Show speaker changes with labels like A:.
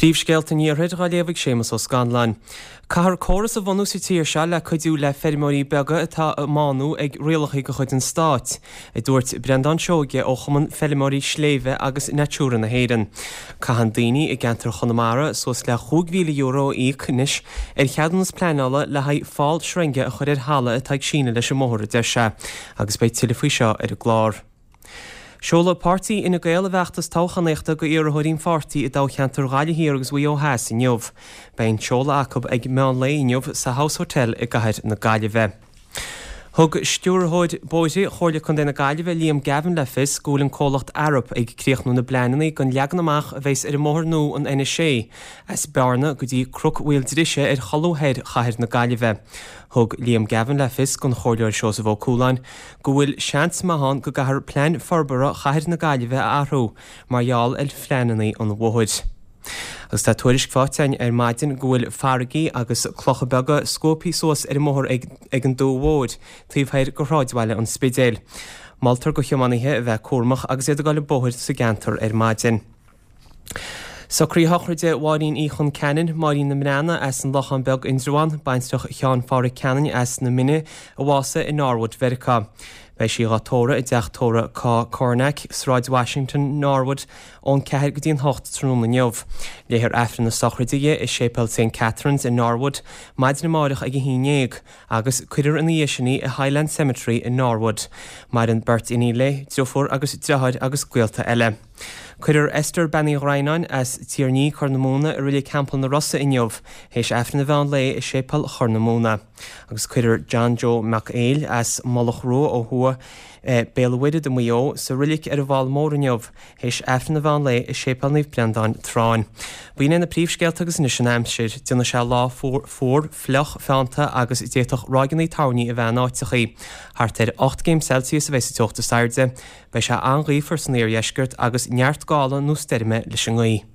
A: Príomhscéalta an Iarthair dhá léamh ag Séamus Ó Scanláin. Caithfear córas a bhunú sa tír seo le cuidiú le feirmeoirí beaga atá á mbánú ag rialacha de chuid an stáit, a dúirt Breandán Seoige ó Chumann Feirmeoirí Sléibhe agus Natura na hÉireann. Caitheann daoine i gceantar Chonamara suas le €5,000 a íoc anois ar cheadúnas pleanála le haghaidh fál sreinge a chur ar thalamh atá ag síneadh leis an mbóthar, a deir sé, agus beidh tuilleadh faoi seo ar an gclár. Seolfaidh páirtí Fhine Gael a bhfeachtas toghchánaíochta go iarrthóirí an pháirtí i dtoghcheantar Ghaillimh Thiar agus Mhaigh Eo Theas inniu. Beidh an seoladh acu ag meán lae inniu sa House Hotel i gcathair na Gaillimhe. Thug Stiúrthóir Bóithre Chomhairle Contae na Gaillimhe Liam Gavin le fios go bhfuil an comhlacht Arup ag críochnú na bpleananna don leagan amach a bheas ar an mbóthar nua an N6 as Bearna go dtí Cnoc Mhaoildrise ar cholbha thoir chathair na Gaillimhe. Thug Liam Gavin le fios don Chomhairleoir Seosamh Ó Cualáin go bhfuil seans maith ann go gcaithfear plean forbartha chathair na Gaillimhe a athrú mar gheall ar phleananna an bhóthair. Agus tá tuairisc faighte againn ar maidin go bhfuil farraigí agus clocha beaga scuabtha suas ar an mbóthar ag an Dumha Mhóir, taobh thoir de shráidbhaile an Spidéil. Moltar do thiománaithe a bheith cúramach agus iad ag dul an bóthar sa gceantar ar maidin. Socruithe sochraide Mháirín Uí Chon Ceanainn, Máirín na mBreathnach as an Lochán Beag, Indreabhán, baintreach Sheáin Phádhraic Ceanainn as na Mine, a bhásaigh i Norwood, Mheiriceá. Beidh sí dhá tórramh i dteach tórraimh Cornack, Sráid Washington, Norwood, ón 4 go dtí an 8 tráthnóna inniu. Léifear Aifreann na sochraide di i Séipéal St Catherine's i Norwood maidin amáireach ag 11. agus cuirfear ina dhiaidh sin í i Highland Cemetery i Norwood. Maireann beirt iníon léi, driofúr agus driotháir agus gaolta eile. Cuirfear Esther Bean Uí Dhroighneáin as Tír an Fhí, Corr na Móna i Reilig Theampall na Rosa inniu, théis Aifreann an mheán lae i Séipéal Chorr na Móna. Agus cuirfear John Joe Mac Éil as Mullach Rua ó thuaidh, Béal an Mhuirthead i Maigh Eo, sa roilig ar an bhFál Mór inniu, théis Aifreann an mheán lae i Séipéal Naomh Breandáin, Tráinn. B'in é na príomhscéalta agus anois an aimsir. Déanfaidh sé lá fuar, fliuch, feannta agus d'fhéadfadh ráigeanna toirní a bheith in áiteachaí. Thart ar 8 gcéim Celsius a bheidh sa teocht is airde. Beidh sé an-ghaofar san iardheisceart agus neart gála nó stoirme leis an ngaoth.